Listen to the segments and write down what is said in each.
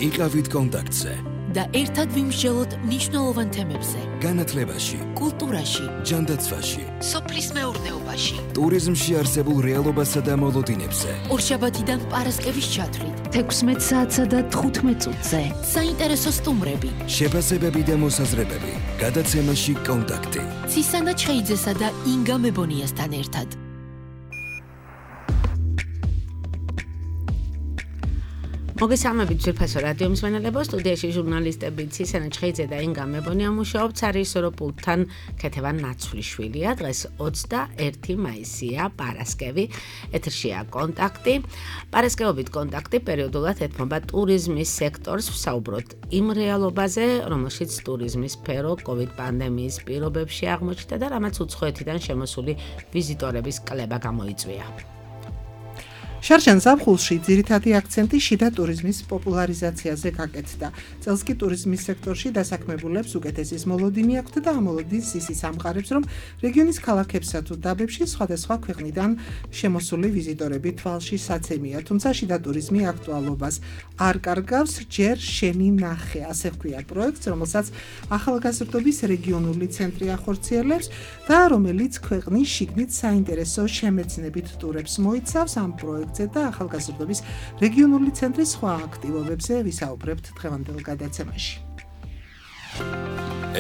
იყავით კონტაქტზე და ერთად ვიმსჯელოთ მნიშვნელოვან თემებზე. განათლებაში, კულტურაში, ჯანდაცვაში, სოფლის მეურნეობაში, ტურიზმში არსებულ რეალობასა და მოლოდინებზე. ორშაბათიდან პარასკევის ჩათვლით, 16 საათსა და 15 წუთზე. საინტერესო სტუმრები, შეფასებები და მოსაზრებები. გადაცემაში კონტაქტი. ცისანა ჩხეიძესა და ინგა მებონიასთან ერთად. მოგესალმებით ძვირფასო რადიო მსმენელებო, სტუდიაში ჟურნალისტები ცისანა ჩხეიძე და ინგა მებონია მუშაობთ სარიჟისორო პულტთან ქეთევან ნაცვლიშვილია. დღეს 21 მაისია, პარასკევი, ეთერშია კონტაქტი. პარასკევობით კონტაქტი პერიოდულად ეთმობა ტურიზმის სექტორს, ვსაუბროთ იმ რეალობაზე, რომელშიც ტურიზმის სფერო COVID პანდემიის პირობებში აღმოჩნდა და რამაც უცხოეთიდან შემოსული ვიზიტორების კლება გამოიწვია. შარშან ზაფხულში ძირითადი აქცენტი შიდა ტურიზმის პოპულარიზაციაზე გაკეთდა. წელს კი ტურიზმის სექტორში დასაქმებულებს უკეთესის მოლოდინი აქვთ და ამ მოლოდინს ისიც ამყარებს, რომ რეგიონის ქალაქებსა თუ დაბებში სხვადასხვა ქვეყნიდან შემოსული ვიზიტორები თვალში საცემია, თუმცა შიდა ტურიზმი აქტუალობას არ კარგავს, ჯერ შენი ნახე, ასე ჰქვია პროექტს, რომელსაც ახალგაზრდობის რეგიონული ცენტრი ახორციელებს და რომელიც ქვეყნის შიგნით საინტერესო შემეცნებით ტურებს მოიცავს. ამ პროექტს და ახალგაზრდობის რეგიონული ცენტრის სხვა აქტივობებზე ვისაუბრებთ დღევანდელ გადაცემაში.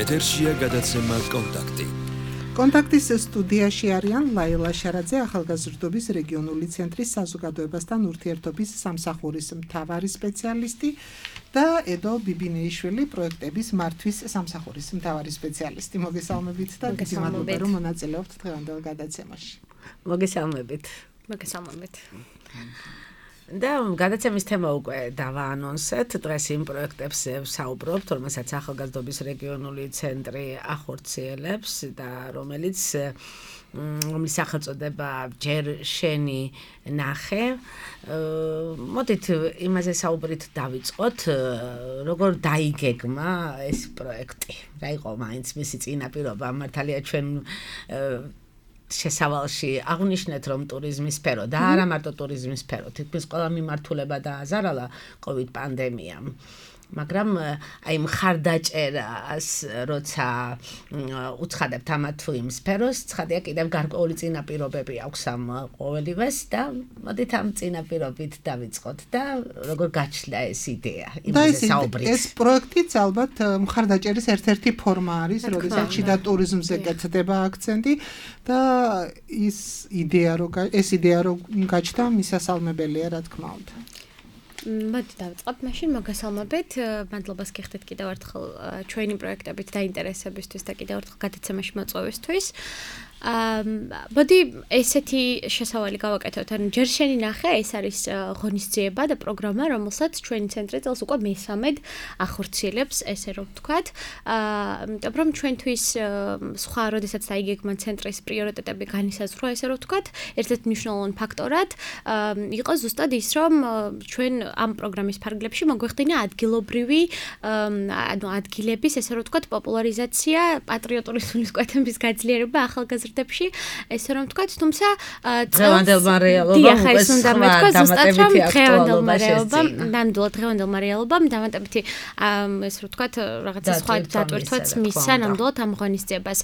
ეთერშია გადაცემა კონტაქტი. კონტაქტის სტუდიაში არიან ლაილა შარაძე, ახალგაზრდობის რეგიონული ცენტრის საზოგადოებასთან ურთიერთობის სამსახურის მთავარი სპეციალისტი და ედო ბიბინეიშვილი, პროექტების მართვის სამსახურის მთავარი სპეციალისტი. მოგესალმებით და დიდი მადლობა, რომ მონაწილეობთ დღევანდელ გადაცემაში. მოგესალმებით. და გადაცემის თემა უკვე დავაანონსეთ. დღეს იმ პროექტებს ვსაუბრობთ, რომელსაც ახალგაზრდობის რეგიონული ცენტრი ახორციელებს და რომლის სახელწოდება ჯერ შენი ნახე. მოდით იმაზე საუბრით დავიწყოთ, როგორ დაიგეგმა ეს პროექტი. რა იყო მაინც მისი წინაპირობა? მართალია ჩვენ შესავალში აღნიშნეთ, რომ ტურიზმის სფერო და არა მარტო ტურიზმის სფერო, თითქმის ყველა მიმართულება დააზარალა COVID პანდემიამ. მაგრამ აი მხარდაჭერას როცა უცხადებთ ამათ თუ იმ სფეროს, ცხადია კიდევ გარკვეული წინაპირობები აქვს ამ ყოველივეს და მოდით ამ წინაპირობით დავიწყოთ და როგორ გაჩნდა ეს იდეა იმაზე საუბრით. ეს პროექტიც ალბათ მხარდაჭერის ერთ-ერთი ფორმა არის, როდესაც შიდა ტურიზმზე გეთდება აქცენტი და ეს იდეა რომ გაჩნდა მისასალმებელია, რა თქმა უნდა. მოდი დავიწყოთ მაშინ, მოგესალმებით. მადლობას გიხდით კიდევ ერთხელ ჩვენი პროექტებით დაინტერესებისთვის და კიდევ ერთხელ გადაცემაში მოწვევისთვის. მოდი ესეთი შესავალი გავაკეთოთ. ანუ ჯერ შენი ნახე, ეს არის ღონისძიება და პროგრამა, რომელსაც ჩვენი ცენტრი წელს უკვე მესამედ ახორციელებს, ესე რომ ვთქვათ. იმიტომ რომ ჩვენთვის სხვა როდესაც დაიგეგმა ცენტრის პრიორიტეტები განისაზღვრა, ესე რომ ვთქვათ, ერთ-ერთი მნიშვნელოვანი ფაქტორად იყო ზუსტად ის, რომ ჩვენ ამ პროგრამის ფარგლებში მოგვეხდინა ადგილობრივი, ანუ ადგილების, ესე რომ ვთქვათ, პოპულარიზაცია, პატრიოტული სულისკვეთების გაძლიერება ახალგაზრდებში, ესე რომ ვთქვათ, თუმცა დღევანდელმა რეალობამ უკვე დღევანდელმა რეალობამ დამატებითი ესე რომ ვთქვათ, რაღაცა სხვა დატვირთვაც მისცა ნამდვილად ამ ღონისძიებას.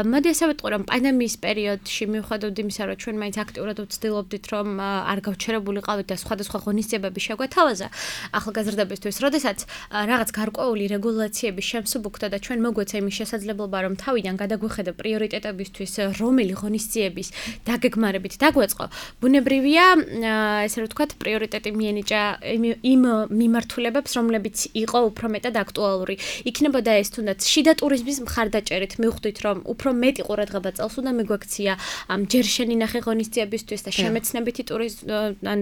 მოდი ასე ვიტყვი, რომ პანდემიის პერიოდში მიუხედავად იმისა, რომ ჩვენ მაინც აქტიურად ვცდილობდით, რომ არ გავჩერებულიყავით და სხვადასხვა ღონისძიებები შეგვეთავაზა ახალგაზრდებისთვის, როდესაც რაღაც გარკვეული რეგულაციების შემსუბუქდა და ჩვენ მოგვეცა იმის შესაძლებლობა, რომ თავიდან გადაგვეხედა პრიორიტეტებისთვის რომელი ღონისძიების დაგეგმარებით დაგვეწყო, ბუნებრივია, ესე რომ ვთქვათ, პრიორიტეტი მიენიჭა იმ მიმართულებებს, რომლებიც იყო უფრო მეტად აქტუალური. იქნებოდა ეს თუნდაც შიდა ტურიზმის მხარდაჭერით მივხვდით, რომ უფრო მეტი ყურადღება წელს უნდა მიგვექცია ამ ჯერ შენი ნახე ღონისძიებისთვის და შემეცნებითი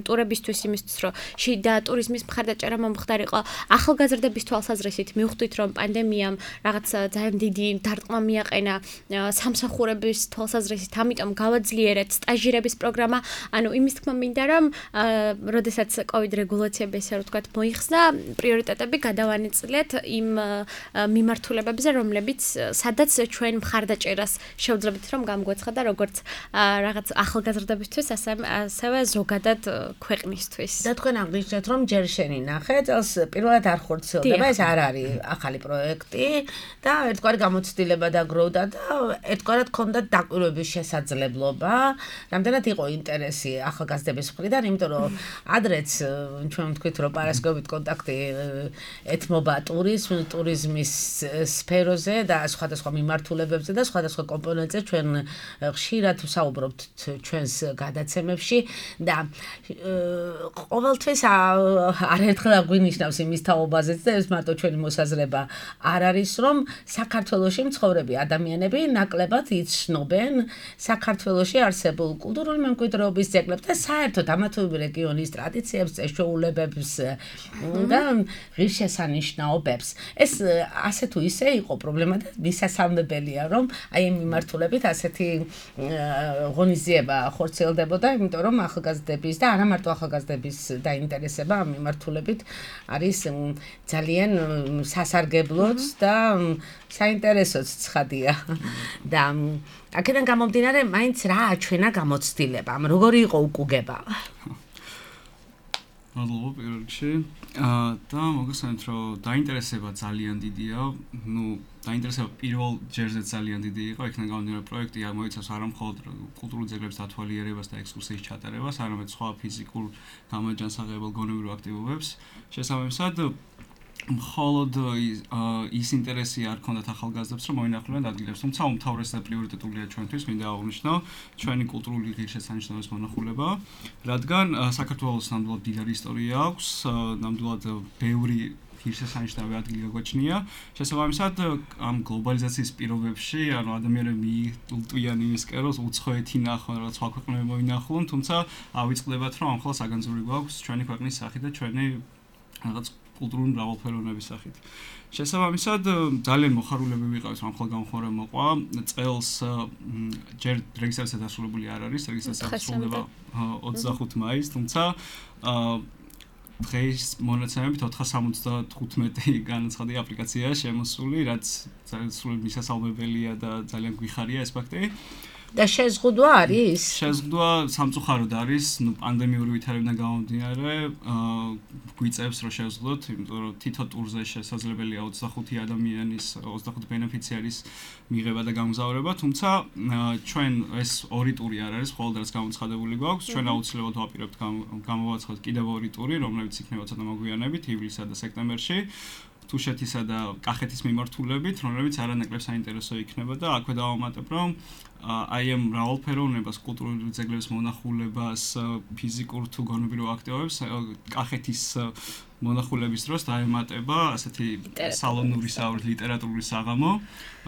ტურებისთვის იმისთვის, რომ შიდა ტურიზმის მხარდაჭერა მომხდარიყო. ახალგაზრდების თვალსაზრისით მივხვდით, რომ პანდემიამ რაღაც ძალიან დიდი დარტყმა მიაყენა სამსახურების თვალსაზრისით, ამიტომ გავაძლიერეთ სტაჟირების პროგრამა. ანუ იმის თქმა მინდა, რომ როდესაც COVID რეგულაციები ესე რომ ვთქვათ მოიხსნა, პრიორიტეტები გადავანაწილეთ იმ მიმართულებებზე, რომლებიც სადაც ჩვენ მხარდაჭერას შევძლებთ, რომ გამგვეცხადა როგორც რაღაც ახალგაზრდებისთვის, ასევე ზოგადად ქვეყნისთვის. და თქვენ აღნიშნეთ, რომ ჯერ შენი ნახე, წელს პირველად არ ხორციელდება, ეს არ არის ახალი პროექტი და ერთგვარი გამოცდილება დაგროვდა და ერთგვარად ქონდა დაკვირვების შესაძლებლობა. რამდენად იყო ინტერესი ახალგაზრდების მხრიდან, იმიტომ რომ ადრეც ჩვენ ვთქვით, რომ პარასკევით კონტაქტი ეთმობა ტურიზმის სფეროზე და სხვადასხვა მიმართულებებზე და სხვადასხვა კომპონენტებზე ჩვენ ხშირად ვსაუბრობთ ჩვენს გადაცემებში და ყოველთვის არაერთხელ აგვინიშნავს იმის თაობაზეც და ეს მარტო ჩვენი მოსაზრება არ არის, რომ საქართველოში მცხოვრები ადამიანები ნაკლებად იცნობენ საქართველოში არსებულ კულტურული მემკვიდრეობის ძეგლებს და საერთოდ ამა თუ იმ რეგიონის ტრადიციებს, წესჩვეულებებს და ღირსშესანიშნაობებს. ეს ასე თუ ისე იყო პრობლემა და მისასალმებელია, რომ აი ამ მიმართულებით ასეთი ღონისძიება ხორციელდებოდა, იმიტომ რომ ახალგაზრდების და არა მარტო ახალგაზრდების დაინტერესება ამ მიმართულებით არის ძალიან სასარგებლოც და საინტერესოც ცხადია. და აქედან გამომდინარე, მაინც რა აჩვენა გამოცდილება, როგორი იყო უკუგება? მადლობა პირველ რიგში. და მოგესალმებით, რომ დაინტერესება ძალიან დიდია. დაინტერესება პირველ ჯერზე ძალიან დიდი იყო, იქიდან გამომდინარე პროექტი მოიცავს არა მხოლოდ კულტურულ ძეგლებს დათვალიერებას და ექსკურსიის ჩატარებას, არამედ სხვა ფიზიკურ გამაჯანსაღებელ გონებრივ აქტივობებს. შესაბამისად, მხოლოდ ის ინტერესი არ ქონდათ ახალგაზრდებს, რომ მოინახულონ ადგილებს, თუმცა უმთავრესი და პრიორიტეტულია ჩვენთვის, მინდა აღვნიშნო, ჩვენი კულტურული ღირსშესანიშნაობის მონახულება, რადგან საქართველოს ნამდვილად დიდარი ისტორია აქვს, ნამდვილად ბევრი ღირსშესანიშნავი ადგილი გაგვაჩნია. შესაბამისად, ამ გლობალიზაციის პირობებში, ანუ ადამიანები მიუტვიან იმის კეროს, უცხოეთი ნახონ, რაღაც სხვა ქვეყნები მოინახულონ, თუმცა ავიწყდებათ, რომ ამხელა საგანძური გვაქვს ჩვენი ქვეყნის სახით და ჩვენი რაღაც კულტურული მრავალფეროვნების სახით. შესაბამისად, ძალიან მოხარულები ვიყავით, რომ ახლა გამხმარება მოყვა. წელს ჯერ რეგისტრაცია დასრულებული არ არის, რეგისტრაცია დასრულდება 25 მაისს, თუმცა დღეს მონაცემებით 475 განაცხადი აპლიკაციაა შემოსული, რაც ძალიან სრულად მისასალმებელია და ძალიან გვიხარია ეს ფაქტი. და შეზღუდვა არის? შეზღუდვა სამწუხაროდ არის, პანდემიური ვითარებიდან გამომდინარე, გვიწევს რომ შეზღუდოთ, იმიტომ რომ თითო ტურზე შესაძლებელია 25 ადამიანის, 25 ბენეფიციარის მიღება და გამგზავრება, თუმცა ჩვენ ეს ორი ტური არ არის, მხოლოდ რაც გამოცხადებული გვაქვს, ჩვენ აუცილებლად ვაპირებთ გამოვაცხადოთ კიდევ ორი ტური, რომლებიც იქნება ცოტა მოგვიანებით, ივლისსა და სექტემბერში. თუშეთისა და კახეთის მიმართულებით, რომლებიც არანაკლებ საინტერესო იქნება და აქვე დავამატებ, რომ აი ამ მრავალფეროვნებას, კულტურული ძეგლების მონახულებას, ფიზიკურ თუ გონებრივ აქტივობებს კახეთის მონახულების დროს დაემატება ასეთი სალონური ლიტერატურული საღამო,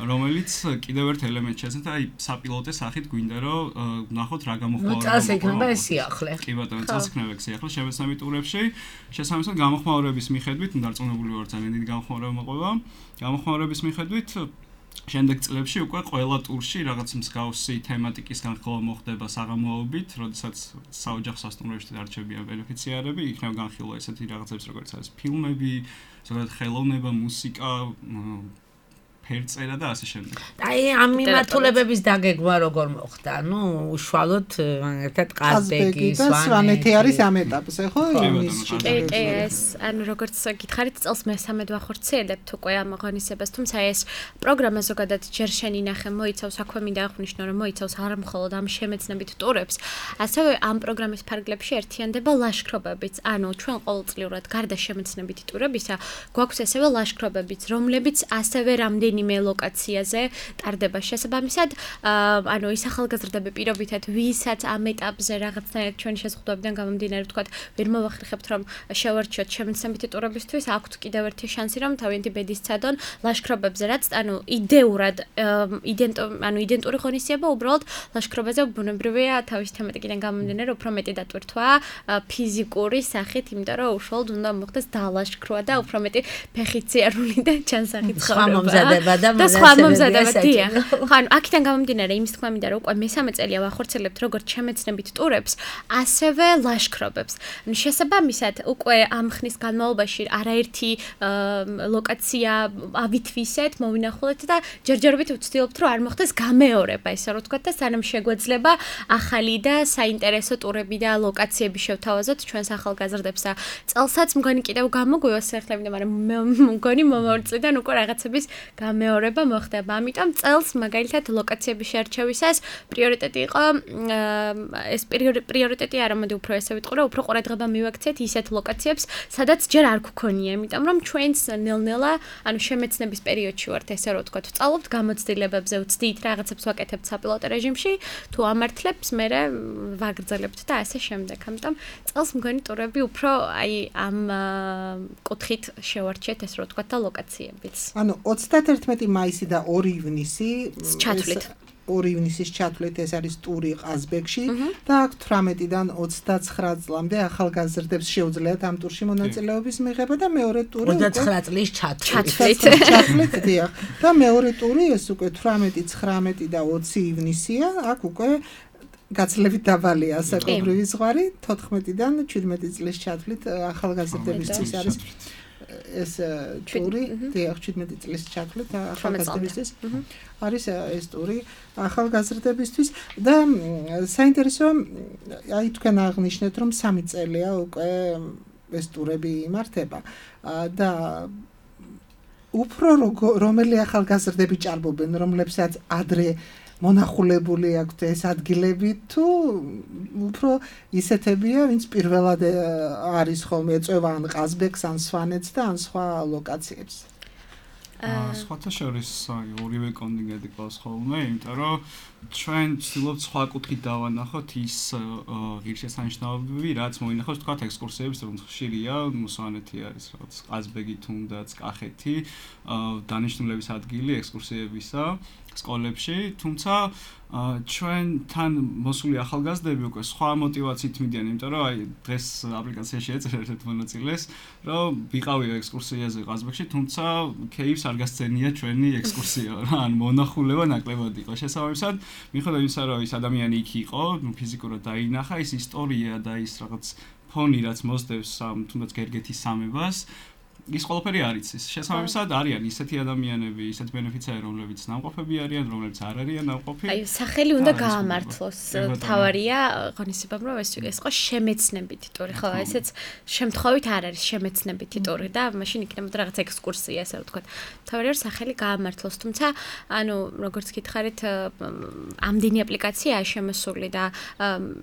რომელიც კიდევ ერთ ელემენტს შეეცემა, აი საპილოტე სახით გვინდა რომ ნახოთ რა გამოხმაურება. წელს იქნება ეს სიახლე. კი ბატონო, წელს იქნება ეს სიახლე შემეცნები ტურებში. შესაბამისად, გამოხმაურების მიხედვით, დარწმუნებული ვარ, ძალიან დიდი გამოხმაურება მოყვება. გამოხმაურების მიხედვით შემდეგ წლებში უკვე ყველა ტურში რაღაც მსგავსი თემატიკის განხილვა მოხდება საღამოობით, როდესაც საოჯახო სასტუმროებში დარჩებიან ბენეფიციარები, იქნება განხილვა ესეთი რაღაცებს, როგორც არის ფილმები, ზოგადად ხელოვნება, მუსიკა, ფერწერა და ასე შემდეგ. აი ამ მიმართულებების დაგეგმა როგორ მოხდა? ნუ უშუალოდ ერთად ყაზბეგი, სვანეთი არის ამ ეტაპზე, ხო? ეს ანუ როგორც გითხარით, წელს მესამედ ვახორციელებთ უკვე ამ ღონისებას, თუმცა ეს პროგრამა ზოგადად ჯერ შენი ნახე მოიცავს, აქვე მინდა აღვნიშნო, რომ მოიცავს არა მხოლოდ ამ შემეცნებით ტურებს, ასევე ამ პროგრამის ფარგლებში ერთიანდება ლაშქრობებიც. ანუ ჩვენ ყოველწლიურად გარდა შემეცნებითი ტურებისა, გვაქვს ასევე ლაშქრობებიც, რომლებიც ასევე რამდენი ლოკაციაზე ტარდება შესაბამისად, ანუ ის ახალგაზრდები პირობითად, ვისაც ამ ეტაპზე რაღაცნაირად ჩვენი შეზღუდვებიდან გამომდინარე, ვთქვათ, ვერ მოვახერხებთ, რომ შევარჩიოთ შემეცნებითი ტურებისთვის, აქვთ კიდევ ერთი შანსი, რომ თავიანთი ბედის ცადონ ლაშქრობებზე, რაც ანუ იდეურად, იდენტური ღონისძიება უბრალოდ ლაშქრობაზე ბუნებრივია თავის თემატიკიდან გამომდინარე, უფრო მეტი დატვირთვა ფიზიკური სახით, იმიტომ რომ უშუალოდ უნდა მოხდეს დალაშქრვა და უფრო მეტი ფეხიციარული და ჩანსახით ცხოვრება. და სხვა მომზადებები. ხან აქედან გამომდინარე იმის თქმა მინდა რომ უკვე მესამე წელია ვახორციელებთ როგორც შემეცნებით ტურებს, ასევე ლაშქრობებს. ანუ შესაბამისად უკვე ამ ხნის განმავლობაში არაერთი ლოკაცია ავითვისეთ, მოვინახულეთ და ჯერჯერობით ვცდილობთ რომ არ მოხდეს გამეორება, ესე რომ ვთქვათ და სანამ შეგვეძლება ახალი და საინტერესო ტურები და ლოკაციები შევთავაზოთ ჩვენს ახალგაზრდებს და წელსაც მგონი კიდევ გამოგვივა სახლები, მაგრამ მგონი მომავალ წლიდან უკვე რაღაცების გამეორება მოხდება. ამიტომ წელს მაგალითად ლოკაციების შერჩევისას პრიორიტეტი იყო ეს პრიორიტეტი არა, მოდი უფრო ესე ვიტყვი, რომ უფრო ყურადღება მივაქციეთ ისეთ ლოკაციებს, სადაც ჯერ არ გქონია, იმიტომ რომ ჩვენს ნელ-ნელა, ანუ შემეცნების პერიოდში ვართ, ესე რომ ვთქვათ, ვწავლობთ გამოცდილებებზე, ვცდით რაღაცებს ვაკეთებთ საპილოტო რეჟიმში, თუ ამართლებს, მერე ვაგრძელებთ და ასე შემდეგ. ამიტომ წელს მგონი ტურები უფრო აი ამ კუთხით შევარჩიეთ, ესე რომ ვთქვათ და ლოკაციებიც. ანუ 31 მაისი და 2 ივნისი ჩათვლით. 2 ივნისის ჩათვლით ეს არის ტური ყაზბეგში და აქ 18-დან 29 წლამდე ახალგაზრდებს შეუძლიათ ამ ტურში მონაწილეობის მიღება და მეორე ტური 29 წლის ჩათვლით დიახ და მეორე ტური ეს უკვე 18, 19 და 20 ივნისია, აქ უკვე გაცლებით დაბალია საკონგრესო ზღვარი 14-დან 17 წლის ჩათვლით ახალგაზრდებისთვის არის ეს ტური, დიახ 17 წლის ჩათვლით ახალგაზრდებისთვის არის ეს ტური ახალგაზრდებისთვის და საინტერესო აი თქვენ აღნიშნეთ რომ 3 წელია უკვე ეს ტურები იმართება და უფრო რომელი ახალგაზრდები ჭარბობენ, რომლებსაც ადრე მონახულებული აქვთ ეს ადგილები თუ უფრო ისეთებია, ვინც პირველად არის ხოლმე ეწევა ან ყაზბეგს, ან სვანეთს და ან სხვა ლოკაციებს. სხვათა შორის ორივე კონტინგენტი ყავს ხოლმე, იმიტომ რომ ჩვენ ვცდილობთ სხვა კუთხით დავანახოთ ის ღირსშესანიშნაობები, რაც მოინახავს თქვათ ექსკურსიებს, რომ ხშირია, სვანეთი არის რაღაც ყაზბეგი თუნდაც კახეთი, დანიშნულების ადგილი ექსკურსიებისა სკოლებში, თუმცა ჩვენთან მოსული ახალგაზრდები უკვე სხვა მოტივაციით მიდიან, იმიტომ რომ აი დღეს აპლიკაციაში ეწერა ერთ მონაწილეს, რომ ვიყავი ექსკურსიაზე ყაზბეგში, თუმცა кейფს არ გასცენია ჩვენი ექსკურსია, რა, ან მონახულება ნაკლებად იყო. შესაბამისად, მიუხედავად იმისა, რომ ის ადამიანი იქ იყო, ფიზიკურად დაინახა, ის ისტორია და ის რაღაც ფონი, რაც მოსდევს თუნდაც გერგეთის სამებას, ის ყველაფერი არ იცის. შესაბამისად არიან ისეთი ადამიანები, ისეთ ბენეფიციარი, რომლებიც ნამყოფები არიან, რომლებიც არ არიან ნამყოფი. აი, სახელი უნდა გაამართლოს. თავარია ღონისებამ, რომ ეს იყო შემეცნებითი ტური, ხო, ესეც შემთხვევით არ არის შემეცნებითი ტური და მაშინ იქნებოდა რაღაც ექსკურსია, ასე ვთქვათ. თავარია რომ სახელი გაამართლოს, თუმცა, ანუ როგორც გითხარით, ამდენი აპლიკაციაა შემოსული და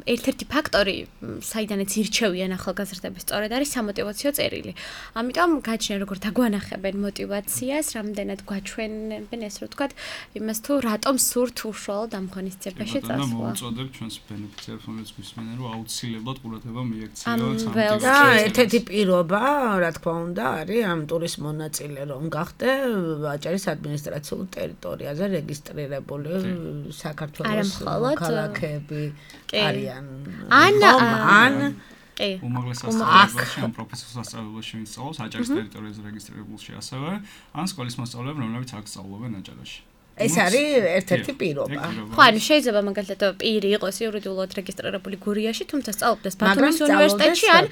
ერთ-ერთი ფაქტორი, საიდანაც ირჩევიან ახალგაზრდები, სწორედ არის სამოტივაციო წერილი. ამიტომ გაჩნია როგორ დაგვანახებენ მოტივაციას, რამდენად გვაჩვენებენ ეს რო ვთქვათ, იმას თუ რატომ სურთ უშუალოდ ამ ღონისძიებაში წასვლა. და მოუწოდებ ჩვენს ბენეფიციარს, რომელიც გვისმენენ, რომ აუცილებლად ყურადღება მიექციოთ და ერთ-ერთი პირობა, რა თქმა უნდა, არის ამ ტურის მონაწილე რომ გახდე აჭარის ადმინისტრაციულ ტერიტორიაზე რეგისტრირებული საქართველოს ქალაქები არიან. ან უმაღლეს სასწავლებელში ან პროფესიულ სასწავლებელში ვინც სწავლობს აჭარის ტერიტორიაზე რეგისტრირებულში ასევე ან სკოლის მოსწავლეები რომლებიც აქ სწავლობენ აჭარაში. ეს არის ერთ-ერთი პირობა. ხო, ანუ შეიძლება მაგალითად პირი იყოს იურიდიულად რეგისტრირებული გურიაში, თუმცა სწავლობდეს ბათუმის უნივერსიტეტში ან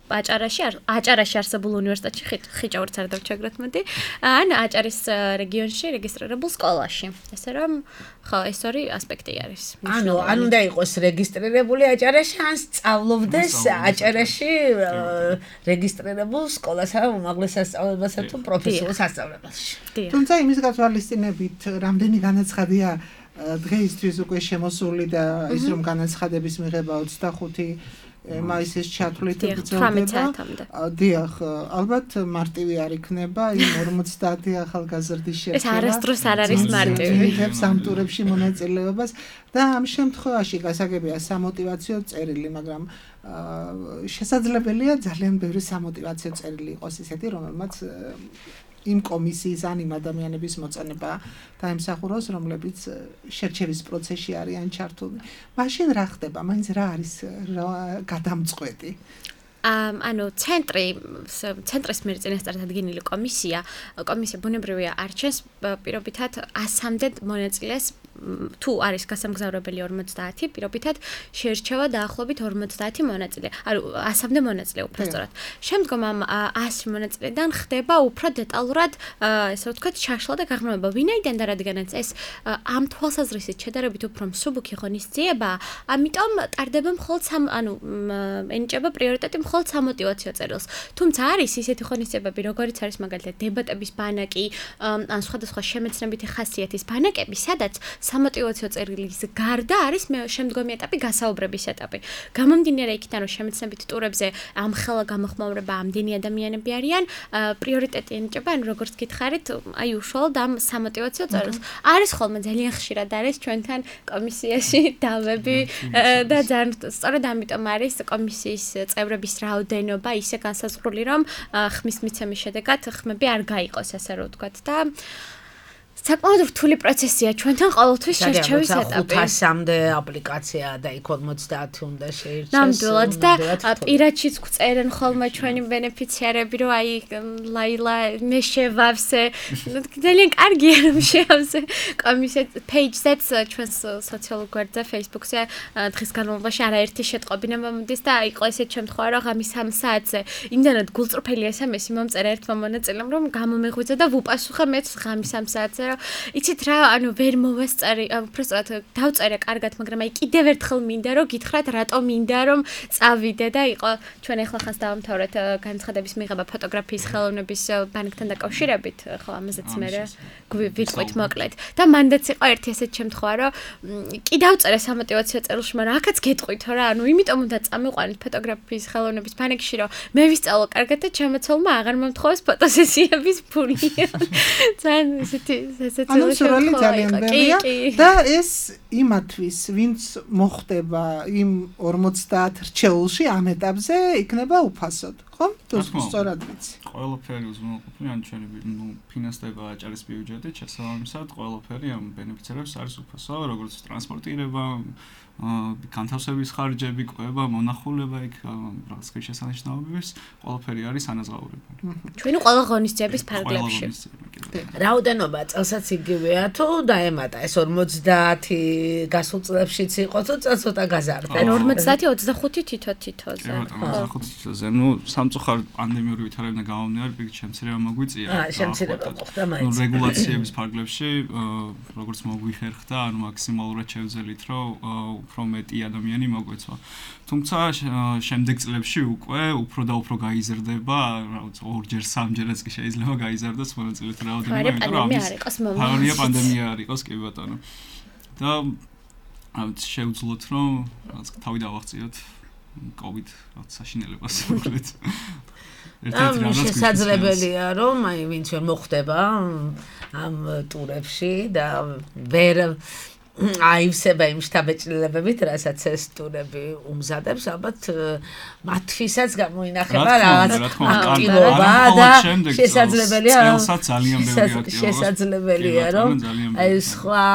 აჭარაში არსებულ უნივერსიტეტში ხიჭაურიც არ დავჩაგროთ მოდი ან აჭარის რეგიონში რეგისტრირებულ სკოლაში. ესე რომ ხო, ეს ორი ასპექტი არის. ანუ უნდა იყოს რეგისტრირებული აჭარაში ან სწავლობდეს აჭარაში რეგისტრირებულ სკოლასა და უმაღლეს სასწავლებელსა თუ პროფესიულ სასწავლებელში. თუმცა იმის გათვალისწინებით, რამდენი განაცხადია დღეისთვის უკვე შემოსული და ის რომ განაცხადების მიღება 25 მაისის ჩათვლით გრძელდება. დიახ, ალბათ მარტივი არ იქნება იმ 50 ახალგაზრდის შერჩევა. ეს არასდროს არ არის მარტივი. ამ ტურებში მონაწილეობას და ამ შემთხვევაში გასაგებია სამოტივაციო წერილი, მაგრამ შესაძლებელია ძალიან ბევრი სამოტივაციო წერილი იყოს ისეთი, რომელმაც იმ კომისიის ან იმ ადამიანების მოწონება დაემსახუროს, რომლებიც შერჩევის პროცესში არიან ჩართული. მაშინ რა ხდება? მაინც რა არის გადამწყვეტი? ანუ ცენტრის მიერ წინასწარ დადგენილი კომისია ბუნებრივია არჩენს პირობითად 100-მდე მონაწილეს თუ არის გასამგზავრებელი 50 პირობითად შეერჩევა დაახლოებით 50 მონაწილე. ანუ 100-მდე მონაწილე უბრალოდ. შემდგომ ამ 100 მონაწილედან ხდება უფრო დეტალურად ესე ვთქვათ ჩაშლა და გაღრმავება. ვინაიდან და რადგანაც ეს ამ თვალსაზრისით შედარებით უფრო მსუბუქი ღონისძიება, ამიტომ ტარდება მხოლოდ ენიჭება პრიორიტეტი მხოლოდ სამოტივაციო წერილს. თუმცა არის ისეთი ღონისძიებები, როგორიც არის მაგალითად დებატების ბანაკი, ან სხვადასხვა შემეცნებითი ხასიათის ბანაკები, სადაც სამოტივაციო წერილის გარდა არის შემდგომი ეტაპი გასაუბრების ეტაპი. გამომდინარე იქიდან, რომ შემეცნებით ტურებზე ამ ხელა გამოხმაურება ამდენი ადამიანები არიან, პრიორიტეტი ენიჭება, ან როგორც გითხარით, აი უშუალოდ ამ სამოტივაციო წერილს. არის ხოლმე ძალიან ხშირად არის ჩვენთან კომისიაში დავები და ძალიან სწორედ ამიტომ არის კომისიის წევრების რაოდენობა ისე განსაზღვრული, რომ ხმის მიცემის შედეგად ხმები არ გაიყოს, ასე რომ ვთქვათ და საკმაოდ რთული პროცესია ჩვენთან ყოველთვის შერჩევის ეტაპი. 500-მდე აპლიკაცია და იქ 50 უნდა შეირჩეს. ნამდვილად და პირადშიც გვწერენ ხოლმე ჩვენი ბენეფიციარები, რომ აი ლაილა მე შევავსე. ძალიან კარგია რომ შევავსე. კომისია page-ზეც ჩვენს სოციალურ გვერდზე Facebook-ზე დღის განმავლობაში არაერთი შეტყობინა მომდის და იყო ესეთ შემთხვევა, რომ ღამის 3 საათზე იმდანად გულწრფელი SMS-ი მომწერა ერთმა მონაწილემ, რომ გამომეღვიძა და ვუპასუხე მეც ღამის 3 საათზე. იცით რა, ანუ ვერ მოვასწარი, უბრალოდ დავწერე კარგად, მაგრამ აი კიდევ ერთხელ მინდა რომ გითხრათ, რატომ მინდა რომ წავიდე და იყო ჩვენ ახლა ხანს დავამთავრეთ განცხადების მიღება ფოტოგრაფიის ხელოვნების ბანკთან დაკავშირებით, ხო, ამაზეც მე ვიტყვით მოკლედ. და მანდაც იყო ერთი ესეთ შემთხვევა, რომ კი დავწერე სამოტივაციო წერილში, მაგრამ აქაც გეტყვით რა, ანუ იმიტომ უნდა წამიყვანეთ ფოტოგრაფიის ხელოვნების ბანკში, რომ მე ვისწავლო კარგად და ჩემოცოლმა აღარ მომთხოვეს ფოტოსესიების ფული. ძალიან ესეთი ანუ სრული ძალიან ბევრია და ეს იმათვის ვინც მოხდება იმ 50 რჩეულში ამ ეტაპზე იქნება უფასოდ, ხო? თუ სწორად ვიცი. ყველაფერი უზრუნველყოფილი ან ჩვენი ფინანსდება აჭარის ბიუჯეტით, შესაბამისად ყველაფერი ამ ბენეფიციარებს არის უფასო, როგორც ტრანსპორტირება, განთავსების ხარჯები, კვება, მონახულება იქ რაღაც შესანიშნავებების, ყველაფერი არის ანაზღაურებული. ჩვენი ყველა ღონისძიების ფარგლებში. რაოდენობა წელსაც იგივეა თუ დაემატა ეს 50 გასულ წლებშიც იყო თუ ცოტა გაზარდა? 50-25 თითო-თითოზე. 25-ზე. ნუ სამწუხაროდ პანდემიური ვითარებიდან გამომდინარე, პირიქით შემცირება მოგვიწია. შემცირება მოხდა მაინც. რეგულაციების ფარგლებში, როგორც მოგვიხერხდა, ანუ მაქსიმალურად შევძელით, რომ უფრო მეტი ადამიანი მოგვეცვა. თუმცა შემდეგ წლებში უკვე უფრო და უფრო გაიზრდება, რაღაც 2-ჯერ 3-ჯერაც კი შეიძლება გაიზარდოს მონაწილეთა რაოდენობა, იმიტომ რომ ამის პანდემია არ იყოს, კი ბატონო. და შევძლოთ, რომ რაღაც თავი დავაღწიოთ COVID რაღაც საშინელებას მოკლედ. შესაძლებელია რომ აი ვინც ვერ მოხვდება ამ ტურებში და ვერ აივსება იმ შთაბეჭდილებებით, რასაც ეს ტურები უმზადებს, ალბათ მათთვისაც გამოინახება რაღაც აქტივობა და შესაძლებელია რომ აი სხვა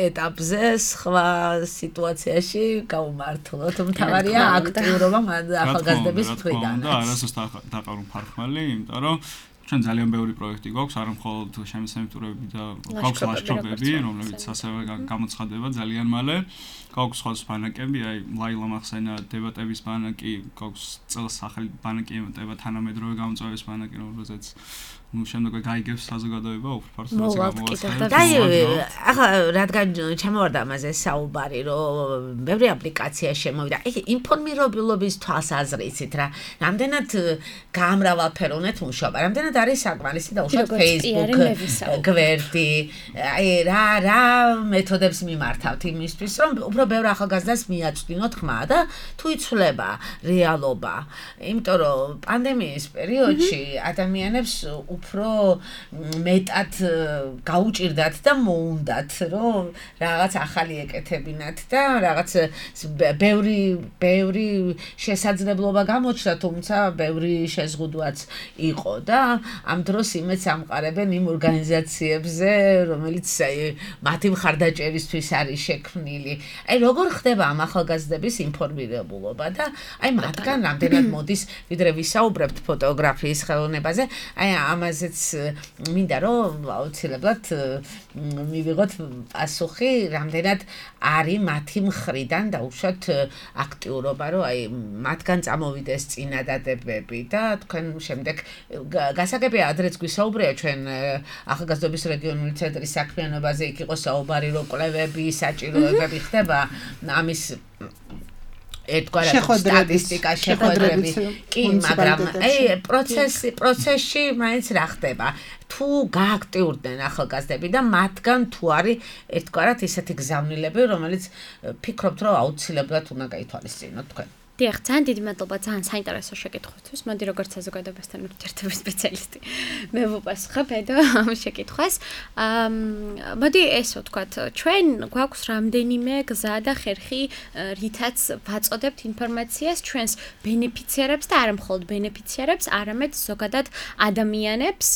ეტაპზე, სხვა სიტუაციაში გავუმართლოთ. მთავარია აქტიურობა ახალგაზრდების მხრიდან. და არასოდეს დაყარულ ფარხმალი, იმიტომ რომ ჩვენ ძალიან ბევრი პროექტი გვაქვს, არა მხოლოდ შემეცნებითი ტურები და გვაქვს ლაშქრობები, რომლებიც ასევე გამოცხადება ძალიან მალე. გვაქვს სხვა ბანაკები, აი ლაილა მახსენა დებატების ბანაკი, გვაქვს წელს ახალი ბანაკი ემატება თანამედროვე გამოწვევის ბანაკი, რომელზეც ну შემდგომ გაიგებს საზოგადოება უფრო ფართოდ მოვალწკიდა. და ახლა რადგან ჩამოვარდა ამაზე საუბარი, რომ ბევრი აპლიკაცია შემოვიდა. ეგ ინფორმირებულობის თვალსაზრისით რა, რამდენად გამრავალფეროვნად მუშაობა, რამდენად არის საკმარისი და უშუალოდ Facebook გვერდი, აი რა მეთოდებს მიმართავთ იმისთვის, რომ უფრო ბევრ ახალგაზრდას მიაწვდინოთ ხმა და თუ იცვლება რეალობა. იმიტომ რომ პანდემიის პერიოდში ადამიანებს უფრო მეტად გაუჭირდათ და მოუნდათ, რომ რაღაც ახალი ეკეთებინათ და რაღაც ბევრი შესაძლებლობა გამოჩნდა, თუმცა ბევრი შეზღუდვაც იყო და ამ დროს იმეც ამყარებენ იმ ორგანიზაციებზე, რომელიც მათი მხარდაჭერისთვის არის შექმნილი. აი როგორ ხდება ამ ახალგაზრდების ინფორმირებულობა და აი მათგან რამდენად მოდის ვიდრე ვისაუბრებთ ფოტოგრაფიის ხელოვნებაზე, აი ამაზეც მინდა რომ აუცილებლად მივიღოთ პასუხი, რამდენად არის მათი მხრიდან დაუშვათ აქტიურობა, რომ აი მათგან წამოვიდეს წინადადებები და თქვენ შემდეგ გასაგებია ადრეც გვისაუბრია ჩვენ ახალგაზრდობის რეგიონული ცენტრის საქმიანობაზე, იქ იყო საუბარი, რომ კვლევები, საჭიროებები ხდება ამის ერთგვარად სტატისტიკა შეხვედრები კი, მაგრამ აი პროცესში მაინც რა ხდება? თუ გააქტიურდნენ ახალგაზრდები და მათგან თუ არის ერთგვარად ისეთი გზავნილები, რომელიც ფიქრობთ, რომ აუცილებლად უნდა გაითვალისწინოთ თქვენ. დიახ, ძალიან დიდი მადლობა ძალიან საინტერესო შეკითხვისთვის. მოდი როგორც საზოგადოებასთან ურთიერთობის სპეციალისტი მე ვუპასუხებ ამ შეკითხვას. მოდი ესე ვთქვათ, ჩვენ გვაქვს რამდენიმე გზა და ხერხი, რითაც ვაწოდებთ ინფორმაციას ჩვენს ბენეფიციარებს და არა მხოლოდ ბენეფიციარებს, არამედ ზოგადად ადამიანებს,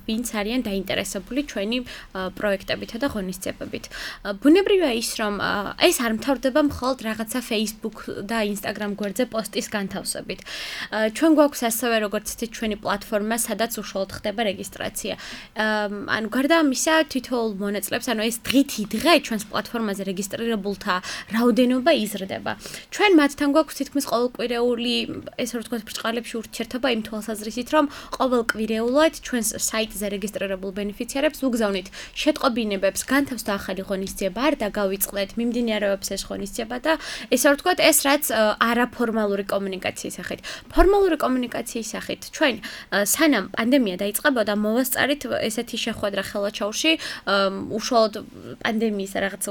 ვინც არიან დაინტერესებული ჩვენი პროექტებითა და ღონისძიებებით. ბუნებრივია ის, რომ ეს არ მთავრდება მხოლოდ რაღაცა Facebook და Instagram გვერდზე პოსტის განთავსებით. ჩვენ გვაქვს ასევე როგორც თვით ჩვენი პლატფორმა, სადაც უშუალოდ ხდება რეგისტრაცია. ანუ გარდა ამისა, თითოეულ მონაწილეებს, ანუ ეს დღითი დღე ჩვენს პლატფორმაზე რეგისტრირებულთა რაოდენობა იზრდება. ჩვენ მათთან გვაქვს თითქმის ყოველკვირეული, ესე რომ ვთქვათ, ბრჭყალებში ურთიერთობა იმ თვალსაზრისით, რომ ყოველკვირეულად ჩვენს საიტზე რეგისტრირებულ ბენეფიციარებს ვუგზავნით შეტყობინებებს, განთავსდა ახალი ღონისძიება, არ დაგავიწყდეთ, მიმდინარეობს ეს ღონისძიება და ესე რომ ვთქვათ, ეს რაც არაფორმალური კომუნიკაციის სახით. ფორმალური კომუნიკაციის სახით ჩვენ სანამ პანდემია დაიწყებოდა, მოვასწარით ესეთი შეხვედრა ხელვაჩაურში, უშუალოდ პანდემიის რაღაც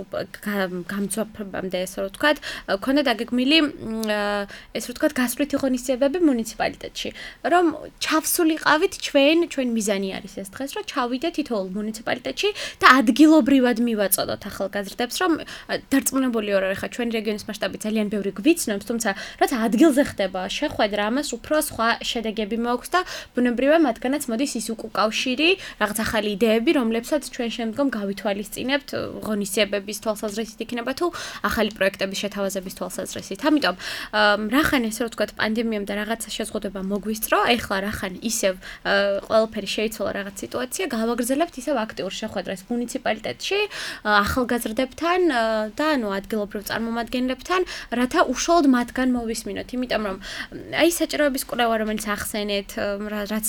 გამძვაფებამდე, ესე რომ ვთქვათ, ქონდა დაგეგმილი ესე რომ ვთქვათ, გასვლითი ღონისძიებები მუნიციპალიტეტში, რომ ჩავსულიყავით ჩვენ მიზანი არის ეს დღეს, რომ ჩავიდეთ თითოეულ მუნიციპალიტეტში და ადგილობრივად მივაწოდოთ ახალგაზრდებს, რომ დარწმუნებული ვარ, ხა ჩვენი რეგიონის მასშტაბით ძალიან ბევრი გვიცნობს, თუმცა რაც ადგილზე ხდება შეხვედრა, ამას უფრო სხვა შედეგები მაქვს და ბუნებრივია მათგანაც მოდის ის უკავშირი, რაღაც ახალი იდეები, რომლებსაც ჩვენ შემდგომ გავითვალისწინებთ ღონისძიებების თვალსაზრისით იქნება თუ ახალი პროექტების შეთავაზების თვალსაზრისით. ამიტომ რახან ესე რომ ვთქვათ, პანდემიამ და რაღაცა შეზღუდვა მოგვისწრო, ეხლა რახან ისევ ყველაფერი შეიცვალა რაღაც სიტუაცია, გავაგრძელებთ ისევ აქტიურ შეხვედრას მუნიციპალიტეტში, ახალგაზრდებთან და ანუ ადგილობრივ წარმომადგენლებთან, რათა უშუალოდ მათგან მოვისმინოთ, იმიტომ რომ აი საჭიროების კვლევა, რომელიც ახსენეთ, რაც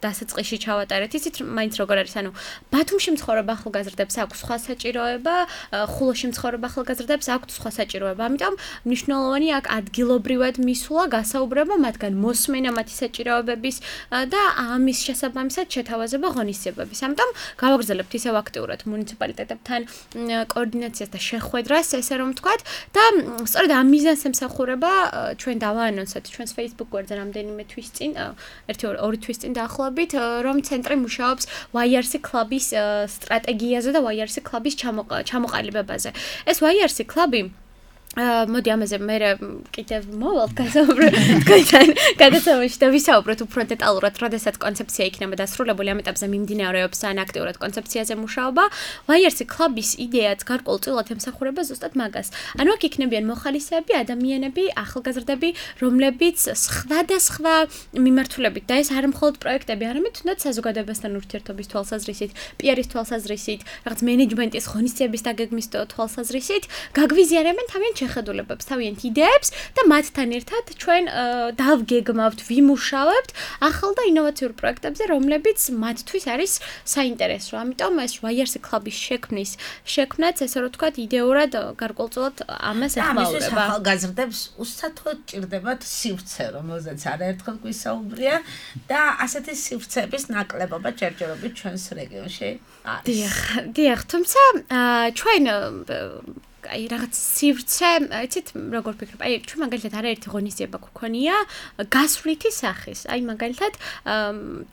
დასაწყისში ჩავატარეთ, იცით მაინც როგორ არის, ანუ ბათუმში მცხოვრებ ახალგაზრდებს აქვს სხვა საჭიროება, ხულოში მცხოვრებ ახალგაზრდებს აქვს სხვა საჭიროება. ამიტომ მნიშვნელოვანია აქ ადგილობრივად მისვლა, გასაუბრება მათგან, მოსმენა მათი საჭიროებების და ამის შესაბამისად შეთავაზება ღონისძიებების. ამიტომ გავაგრძელებთ ისევ აქტიურად მუნიციპალიტეტებთან კოორდინაციას და შეხვედრას, ესე რომ ვთქვათ, და სწორედ ამ მიზანს ემსახურება ჩვენ დავაანონსეთ ჩვენს Facebook გვერდზე რამდენიმე თვის წინ, ორი თვის წინ დაახლოებით, რომ ცენტრი მუშაობს YRC კლუბის სტრატეგიაზე და YRC კლუბის ჩამოყალიბებაზე. ეს YRC კლუბი მოდი ამაზე მე კიდევ მოვალთ გასაუბროთ თქვენთან გადაცემაში და ვისაუბროთ უფრო დეტალურად, როდესაც კონცეფცია იქნება დასრულებული, ამ ეტაპზე მიმდინარეობს ან აქტიურად კონცეფციაზე მუშაობა. YRC კლუბის იდეაც გარკვეულწილად ემსახურება ზუსტად მაგას. ანუ აქ იქნებიან მოხალისეები, ადამიანები, ახალგაზრდები, რომლებიც სხვადასხვა მიმართულებით და ეს არ მხოლოდ პროექტები, არამედ თუნდაც საზოგადოებასთან ურთიერთობის თვალსაზრისით, PR-ის თვალსაზრისით, რაღაც მენეჯმენტის ღონისძიების დაგეგმვის თვალსაზრისით გაგვიზიარებენ თავიანთ შეხედულებებს, თავიანთ იდეებს და მათთან ერთად ჩვენ დავგეგმავთ, ვიმუშავებთ ახალ და ინოვაციურ პროექტებზე, რომლებიც მათთვის არის საინტერესო. ამიტომ ეს YRC კლუბის შექმნაც, ესე რომ ვთქვათ, იდეურად გარკვეულწილად ამას ეხმაურება. ახალგაზრდებს უსათოდ ჭირდებათ სივრცე, რომელზეც არაერთხელ გვისაუბრია და ასეთი სივრცეების ნაკლებობა ჯერჯერობით ჩვენს რეგიონში არის. დიახ, თუმცა ჩვენ აი რაღაც სივრცე, იცით, როგორ ფიქრობ? აი ჩვენ მაგალითად არაერთი ღონისძიება გვქონია გასვლითი სახის. აი მაგალითად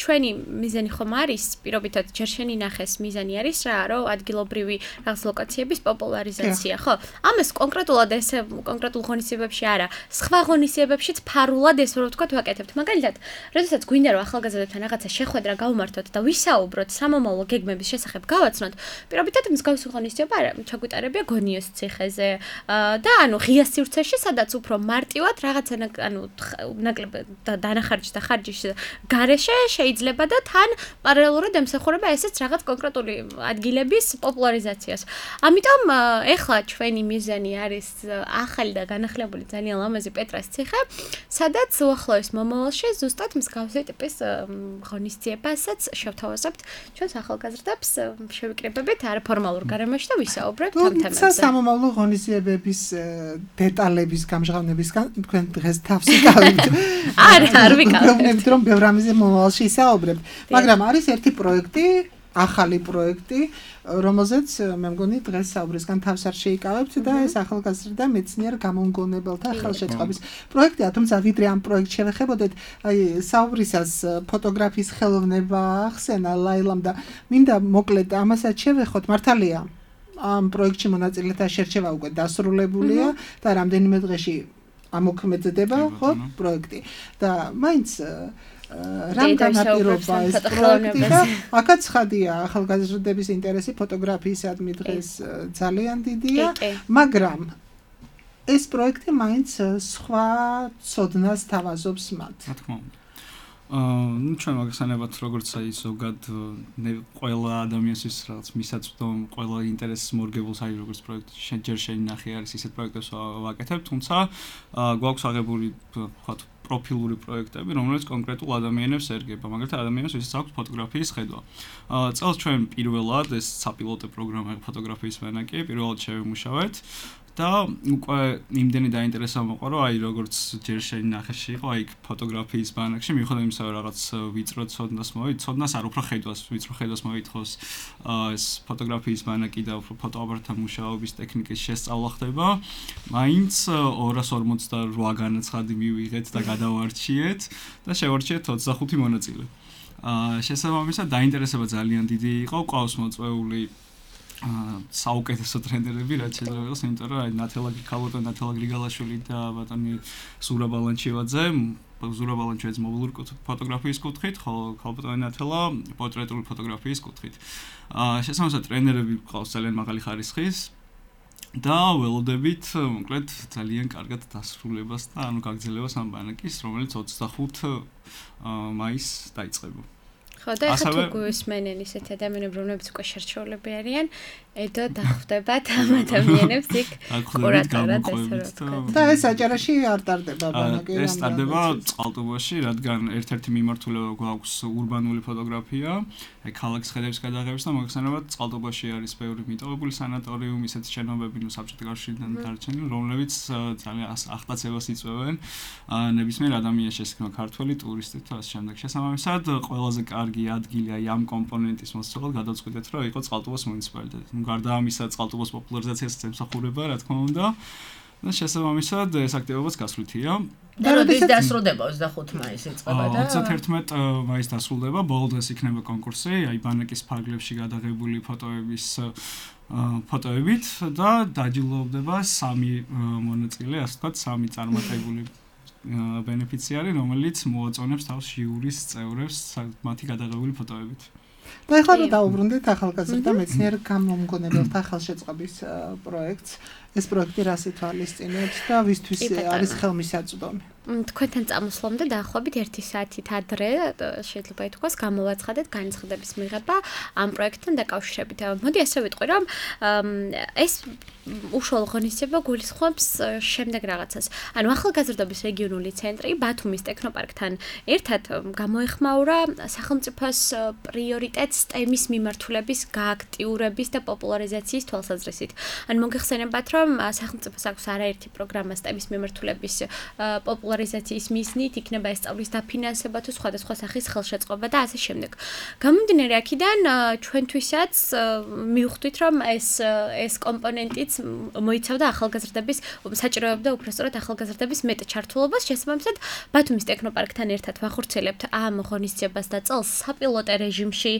ჩვენი მიზანი ხომ არის, პირობითად ჯერ შენი ნახეს მიზანი არის რა, რომ ადგილობრივი რაღაც ლოკაციების პოპულარიზაცია, ხო? ამას კონკრეტულად ესე კონკრეტულ ღონისძიებებში არა, სხვა ღონისძიებებშიც ფარულად ეს რო ვთქვათ ვაკეთებთ. მაგალითად, როდესაც გვინდა რომ ახალგაზრდებთან რაღაცა შეხვედრა გავუმართოთ და ვისაუბროთ სამომავლო გეგმების შესახებ გავაცნოთ, პირობითად მსგავსი ღონისძიება ჩაგვიტარებია გონიოს ციხეზე და ანუ ღია სივრცეში, სადაც უფრო მარტივად რაღაცა ანუ ნაკლებ დანახარჯის და ხარჯის გარეშე შეიძლება და თან პარალელურად ემსახურება ესეც რაღაც კონკრეტული ადგილების პოპულარიზაციას. ამიტომ ეხლა ჩვენი მიზანი არის ახალი და განახლებული ძალიან ლამაზი პეტრას ციხე, სადაც უახლოეს მომავალში ზუსტად მსგავსი ტიპის ღონისძიებასაც შევთავაზებთ ჩვენს ახალგაზრდებს, შევიკრიბებით არაფორმალურ გარემოში და ვისაუბრებთ ამ თემებზე. სამომავლო ღონისძიებების დეტალების გამჟღავნებისგან თქვენ დღეს თავს იკავებთ. არ ვიკავებთ. რომ ბევრ ამაზე მომავალში ისაუბრებთ. მაგრამ არის ერთი პროექტი, ახალი პროექტი, რომელზეც მე მგონი დღეს საუბრისგან თავს არ შეიკავებთ და ეს ახალგაზრდა მეცნიერ გამომგონებელთა ხელშეწყობის პროექტია, თუმცა ვიდრე ამ პროექტს შევეხებოდეთ, აი საუბრისას ფოტოგრაფიის ხელოვნება ახსენა ლაილამ და მინდა მოკლედ ამასაც შევეხოთ, მართალია. ამ პროექტში მონაწილეთა შერჩევა უკვე დასრულებულია და რამდენიმე დღეში ამოქმედდება, ხო, პროექტი. და მაინც რამ განაპირობა ეს პროექტი და აქაც ხადია ახალგაზრდების ინტერესი ფოტოგრაფიისადმი დღეს ძალიან დიდია, მაგრამ ეს პროექტი მაინც სხვა ცოდნას თავაზობს მათ. რა თქმა უნდა. ჩვენ მაგასანებად როგორც აი ზოგად ყველა ადამიანის რაღაც მისაწვდომ, ყველა ინტერესს მორგებულს აი როგორც პროექტი ჯერ შენი ნახე არის ისეთ პროექტებს ვაკეთებ, თუმცა გვაქვს აღებული ვთქვათ პროფილური პროექტები, რომელიც კონკრეტულ ადამიანებს ერგება, მაგალითად ადამიანებს, ვისაც აქვს ფოტოგრაფიის ხედვა. წელს ჩვენ პირველად ეს საპილოტო პროგრამა ფოტოგრაფიის ვენაკი, პირველად შევიმუშავეთ და უკვე იმდენი დაინტერესა მოყვა, რომ აი როგორც ჯერ შენი ნახეში იყო, აი ფოტოგრაფიის ბანაკში, მიუხედავად იმისა, რომ რაღაც ვიწრო ცოდნას არ უფრო ხედვას, ვიწრო ხედვას მოითხოვს ეს ფოტოგრაფიის ბანაკი და უფრო ფოტოაპარატთან მუშაობის ტექნიკის შესწავლა ხდება, მაინც 248 განაცხადი მივიღეთ და გადავარჩიეთ და შევარჩიეთ 25 მონაწილე. შესაბამისად დაინტერესება ძალიან დიდი იყო, ყავს მოწვეული საუკეთესო ტრენერები, რაც შეიძლება იყოს, იმიტომ რომ აი ნათელა გრიგალაშვილი და ბატონი ზურაბ ალანჩევაძე, ზურაბ ალანჩევაძე მობილური ფოტოგრაფიის კუთხით, ხოლო ბატონი ნათელა პორტრეტული ფოტოგრაფიის კუთხით. შესაბამისად ტრენერები ყავს ძალიან მაღალი ხარისხის და ველოდებით მოკლედ ძალიან კარგად დასრულებას და ანუ გაგრძელებას ამ ბანაკის, რომელიც 25 მაისს დაიწყება. ხო და ახლა თუ გვისმენენ ისეთ ადამიანები, რომლებიც უკვე შერჩეულები არიან, ედო დახვდებათ ამ ადამიანებს იქ ყურადღებად და ეს აჭარაში არ ტარდება ბანაკი. ეს ტარდება წყალტუბოში, რადგან ერთ-ერთი მიმართულება გვაქვს ურბანული ფოტოგრაფია, აი ქალაქის ხედების გადაღებისა და მოგხსენებათ წყალტუბოში არის ბევრი მიტოვებული სანატორიუმი, ისეთი შენობები, ნუ საბჭოთა კავშირიდან დარჩენილი, რომლებიც ძალიან ახტაცებას იწვევენ ნებისმიერ ადამიანს, შესაძლოა ქართველი ტურისტი თუ ასე შემდეგ. შესაბამისად, ყველაზე კარგი ადგილი აი ამ კომპონენტის მოსწავლად გადავწყვიტეთ, რომ იყო წყალტუბოს მუნიციპალიტეტი. გარდა ამისა წყალტუბოს პოპულარიზაციას ემსახურება, რა თქმა უნდა. და შესაბამისად ეს აქტივობაც გასვლითია. და როდის დასრულდება 25 მაისს იწყება და 31 მაისს დასრულდება, ბოლო დღეს იქნება კონკურსი, აი ბანაკის ფარგლებში გადაღებული ფოტოებით და დაჯილდოვდება 3 მონაწილე, ასე ვთქვათ, 3 წარმატებული ბენეფიციარი, რომელიც მოაწონებს თავს ჟიურის წევრებს მათი გადაღებული ფოტოებით. და ეხლა რომ დაუბრუნდეთ ახალგაზრდა მეცნიერ გამომგონებელთა ხელშეწყობის პროექტს, ეს პროექტი რას ითვალისწინებს და ვისთვის არის ხელმისაწვდომი? თქვენთან წამოსვლამდე დაახლოებით 1 საათით ადრე შეიძლება ითქვას გამოვაცხადეთ განცხადების მიღება ამ პროექტთან დაკავშირებით. მოდი ასე ვიტყვი, რომ ეს უშუალო ღონისძიება გულისხმობს შემდეგ რაღაცას. ანუ ახალგაზრდობის რეგიონული ცენტრი ბათუმის ტექნოპარკთან ერთად გამოეხმაურა სახელმწიფოს პრიორიტეტს STEM-ის მიმართულების გააქტიურების და პოპულარიზაციის თვალსაზრისით. ანუ მოგეხსენებათ, რომ რომ სახელმწიფოს აქვს არაერთი პროგრამა სტემის მიმართულების პოპულარიზაციის მიზნით, იქნება ეს სწავლის დაფინანსება თუ სხვადასხვა სახის ხელშეწყობა და ასე შემდეგ. გამომდინარე აქედან ჩვენთვისაც მივხვდით, რომ ეს კომპონენტიც მოიცავდა ახალგაზრდების საჭიროებდა უბრალოდ ახალგაზრდების მეტ ჩართულობას. შესაბამისად, ბათუმის ტექნოპარკთან ერთად ვახორციელებთ ამ ღონისძიებას და წელს საპილოტო რეჟიმში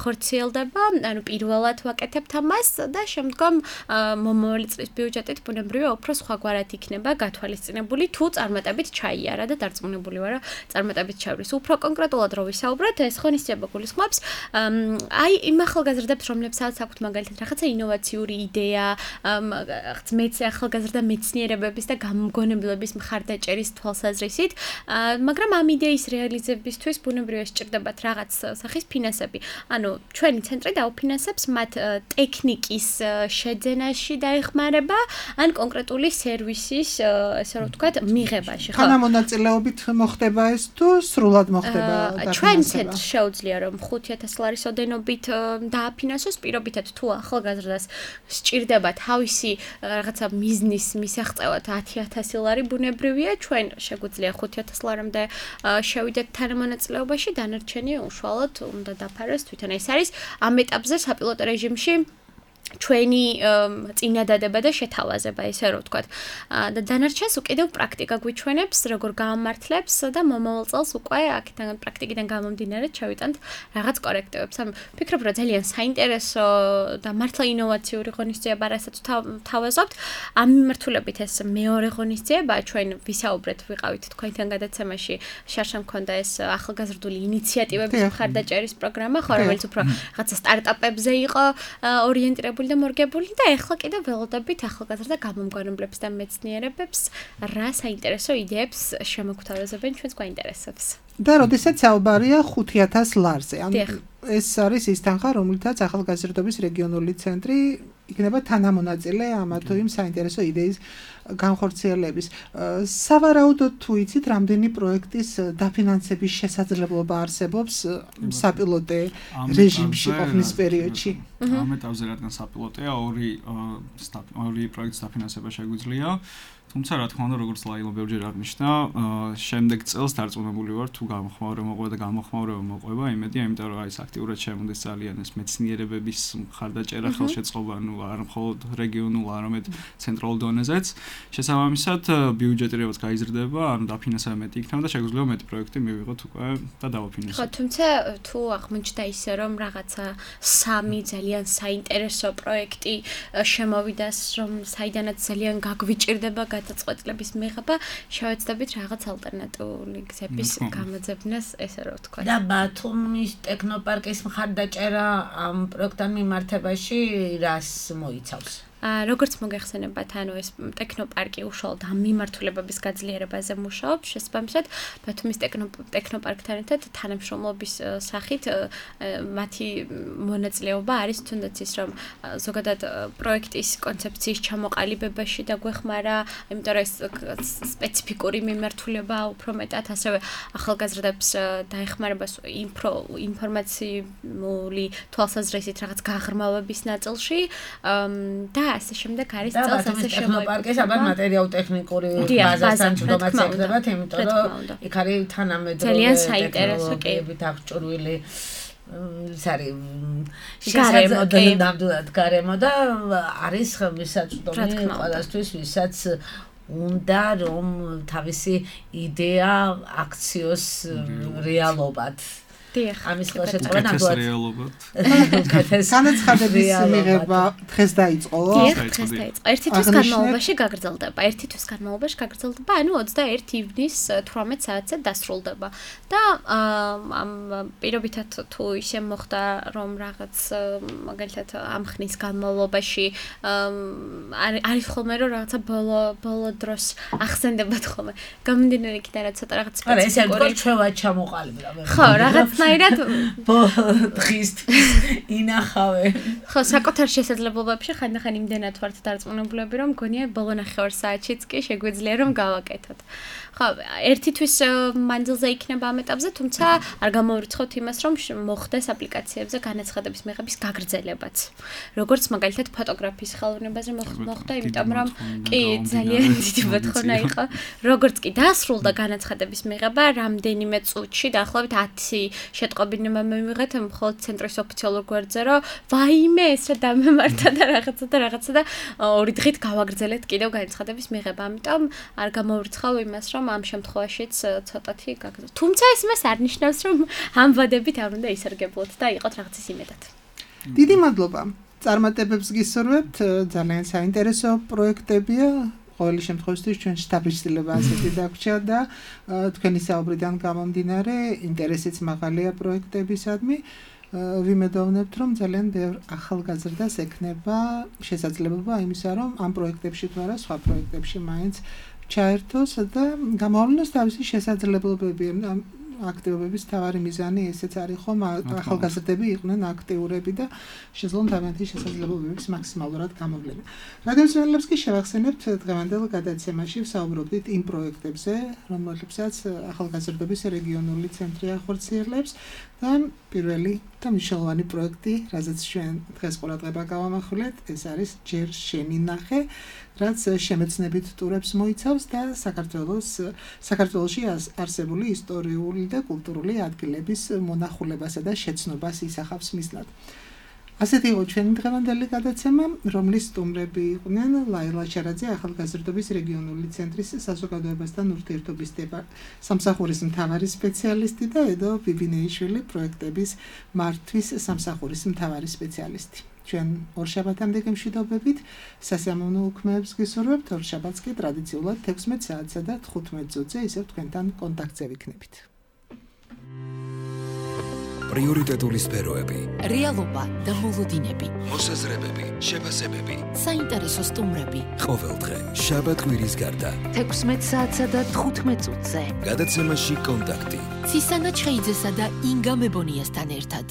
ხორციელდება, ანუ პირველად ვაკეთებთ ამას და შემდგომ მომავალი წლის ბიუჯეტით ბუნებრივია უფრო სხვაგვარად იქნება გათვალისწინებული თუ წარმატებით ჩაიარა და დარწმუნებული ვარ, წარმატებით ჩავრის. უფრო კონკრეტულად რო ვისაუბროთ, ეს ღონისძიება გულისხმობს აი იმ ახალგაზრდებს, რომლებსაც აქვთ მაგალითად რაღაცა ინოვაციური იდეა, ახალგაზრდა მეცნიერებების და გამოგონებლების მხარდაჭერის თვალსაზრისით, მაგრამ ამ იდეის რეალიზებისთვის ბუნებრივია სჭირდებათ რაღაც სახის ფინანსები. ანუ ჩვენი ცენტრი დაუფინანსებს მათ ტექნიკის შეძენაში დაეხმარება ან კონკრეტული სერვისის, ესე რომ ვთქვათ, მიღებაში. თანამონაწილეობით მოხდება ეს თუ სრულად მოხდება დაფინანსება? ჩვენ ცენტრს შეუძლია რომ 5,000 ლარის ოდენობით დააფინანსოს, პირობითად თუ ახალგაზრდას სჭირდება თავისი რაღაცა მიზნის მისაღწევად 10,000 ლარი ბუნებრივია, ჩვენ შეგვიძლია 5,000 ლარამდე შევიდეთ თანამონაწილეობაში, დანარჩენი უშუალოდ უნდა დაფაროს თვითონ. ეს არის ამ ეტაპზე საპილოტო რეჟიმში ჩვენი წინადადება და შეთავაზება, ესე რომ ვთქვათ. და დანარჩენს უკიდევ პრაქტიკა გვიჩვენებს, როგორ გაამართლებს და მომავალ წელს უკვე აქედან პრაქტიკიდან გამომდინარე ჩავიტანთ რაღაც კორექტივებს. ანუ ვფიქრობ, რომ ძალიან საინტერესო და მართლა ინოვაციური ღონისძიება, რასაც ვთავაზობთ. ამ მიმართულებით ეს მეორე ღონისძიება, ჩვენ ვისაუბრეთ, ვიყავით თქვენთან გადაცემაში, შარშან მქონდა ეს ახალგაზრდული ინიციატივების მხარდაჭერის პროგრამა, ხო, რომელიც უფრო რაღაცა სტარტაპებზე იყო ორიენტირებული და მორგებული და ეხლა კიდევ ველოდებით ახალგაზრდა გამომგონებლებს და მეცნიერებებს რა საინტერესო იდეებს შემოგთავაზებენ ჩვენს გვაინტერესებს. და როდესაც საუბარია 5,000 ლარზე, ანუ ეს არის ის თანხა, რომლითაც ახალგაზრდობის რეგიონული ცენტრი იქნება თანამონაწილე ამ თუ იმ საინტერესო იდეის განხორციელების. სავარაუდოდ თუ იცით, რამდენი პროექტის დაფინანსების შესაძლებლობა არსებობს საპილოტო რეჟიმში ყოფნის პერიოდში? ამ ეტაპზე რადგან საპილოტოა, ორი პროექტის დაფინანსება შეგვიძლია. თუმცა რა თქმა უნდა, როგორც ლაილო ბევრჯერ აღნიშნა, შემდეგ წელს დარწმუნებული ვარ, თუ გამოხმაურება მოყვება და გამოხმაურება მოყვება, იმედია, იმიტომ რომ ეს აქტიურად შემოდის ძალიან ეს მეცნიერებების მხარდაჭერა, ხელშეწყობა, ну, არ მხოლოდ რეგიონულ, არამედ ცენტრალურ დონეზეც. შესაბამისად, ბიუჯეტი რაც გაიზრდება, ანუ დაფინანსება მეტი იქნება და შეგვიძლია მეტი პროექტი მივიღოთ უკვე და დავაფინანსოთ. ხო, თუმცა თუ აღმოჩნდა ისე, რომ რაღაცა 3 ძალიან საინტერესო პროექტი შემოვიდა, რომ საიდანაც ძალიან გაგვიჭირდება გადაწყვეტილების მიღება, შევეცდებით რაღაც ალტერნატიული გზების გამოძებნას, ესე რომ ვთქვათ. და ბათუმის ტექნოპარკის მხარდაჭერა ამ პროექტთან მიმართებაში რას მოიცავს? როგორც მოგეხსენებათ, ანუ ეს ტექნოპარკი უშუალოდ ამ მიმართულებების გაძლიერებაზე მუშაობს, შესაბამისად, ბათუმის ტექნოპარკთან ერთად თანამშრომლობის სახით მათი მონაწილეობა არის თუნდაც ის, რომ ზოგადად პროექტის კონცეფციის ჩამოყალიბებაში დაგვეხმარა, იმიტომ რომ ეს სპეციფიკური მიმართულება უფრო მეტად ასევე ახალგაზრდებს დაეხმარება ინფორმაციული თვალსაზრისით რაღაც გაღრმავების ნაწილში და ასე შემდეგ არის წელს ასე ტექნოპარკის აბა მატერიალურ-ტექნიკური ბაზასთან ჯდომაც ეკდებათ, იმიტომ რომ იქ არის თანამედროვე ძალიან საინტერესო კეებით აღჭურვილი ნამდვილად გარემო და არის მისაწვდომი ყველასთვის, ვისაც უნდა რომ თავისი იდეა აქციოს რეალობად ამის ხელშეწყობა ნამდვილად განაცხადების მიღება დღეს დაიწყო? დღეს დაიწყო. ერთი თვის განმავლობაში გაგრძელდება. ანუ 21 ივნის 18 საათზე დასრულდება. და პირობითად თუ ისე მოხდა, რომ რაღაც მაგალითად ამ ხნის განმავლობაში არის ხოლმე რომ რაღაცა ბოლო დროს ახსენდებათ ხოლმე. გამომდინარე იქიდან რაც ცოტა რაღაც სპეციფიკური. არა, ესე რგოლ ჩვევა ჩამოყალიბდა. ხო, რაღაც რაღაცნაირად დღისთვის ინახავე. ხო, საკუთარ შესაძლებლობებში ხანდახან იმდენად ვართ დარწმუნებულები, რომ მგონია ბოლო ნახევარ საათშიც კი შეგვიძლია რომ გავაკეთოთ. ხო, ერთი თვის მანძილზე იქნება ამ ეტაპზე, თუმცა არ გამოვრიცხავთ იმას, რომ მოხდეს აპლიკაციებზე განაცხადების მიღების გაგრძელებაც. როგორც მაგალითად ფოტოგრაფიის ხელოვნებაზე მოხდა, იმიტომ რომ კი ძალიან დიდი მოთხოვნა იყო. როგორც კი დასრულდა განაცხადების მიღება, რამდენიმე წუთში, დაახლოებით 10 შეტყობინება მივიღეთ მხოლოდ ცენტრის ოფიციალურ გვერდზე, რომ ვაიმე ეს რა დამემართა და რაღაცა და 2 დღით გავაგრძელეთ კიდევ განაცხადების მიღება. ამიტომ არ გამოვრიცხავ იმას, რომ ამ შემთხვევაშიც ცოტათი გაგრძელოთ. თუმცა ეს მას არ ნიშნავს, რომ ამ ვადებით არ უნდა ისარგებლოთ და იყოთ რაღაცის იმედად. დიდი მადლობა. წარმატებებს გისურვებთ, ძალიან საინტერესო პროექტებია. ყოველი შემთხვევაში ჩვენ შტაბის ცდილება ასეთი დაგვრჩა და თქვენი საუბრიდან გამომდინარე, ინტერესიც მაღალია პროექტებისადმი. ვიმედოვნებთ, რომ ძალიან ბევრ ახალგაზრდას ექნება შესაძლებლობა იმისა, რომ ამ პროექტებში თუ არა სხვა პროექტებში მაინც ჩაერთოს და გამოავლინოს თავისი შესაძლებლობები. აქტივობების თავარი მიზანი ესეც არის ხომ ახალგაზრდები იყვნენ აქტიურები და შეძლონ თავიანთი შესაძლებლობების მაქსიმალურად გამოვლენა. რადიოსმენელებს კი შევახსენებთ დღევანდელ გადაცემაში ვსაუბრობდით იმ პროექტებზე, რომლებსაც ახალგაზრდობის რეგიონული ცენტრი ახორციელებს და პირველი და მნიშვნელოვანი პროექტი, რასაც ჩვენ დღეს ყურადღება გავამახვილეთ, ეს არის ჯერ შენი ნახე, რაც შემეცნებით ტურებს მოიცავს და საქართველოში არსებული ისტორიული და კულტურული ადგილების მონახულებასა და შეცნობას ისახავს მიზნად. ასეთი იყო ჩვენი დღევანდელი გადაცემა, რომლის სტუმრები იყვნენ ლაილა შარაძე, ახალგაზრდობის რეგიონული ცენტრის საზოგადოებასთან ურთიერთობის სამსახურის მთავარი სპეციალისტი და ედო ბიბინეიშვილი პროექტების მართვის სამსახურის მთავარი სპეციალისტი. ჩვენ ორშაბათამდე გემშვიდობებით, სასიამოვნო უქმეებს გისურვებთ, ორშაბათს კი ტრადიციულად 16 საათსა და 15 წუთზე ისევ თქვენთან კონტაქტზე ვიქნებით. პრიორიტეტული სფეროები, რეალობა და მოლოდინები, მოსაზრებები, შეფასებები, საინტერესო სტუმრები. ყოველდღე, შაბათ-კვირის გარდა, 16 საათსა და 15 წუთზე. გადაცემაში კონტაქტი. ცისანა ჩხეიძესა და ინგა მებონიასთან ერთად.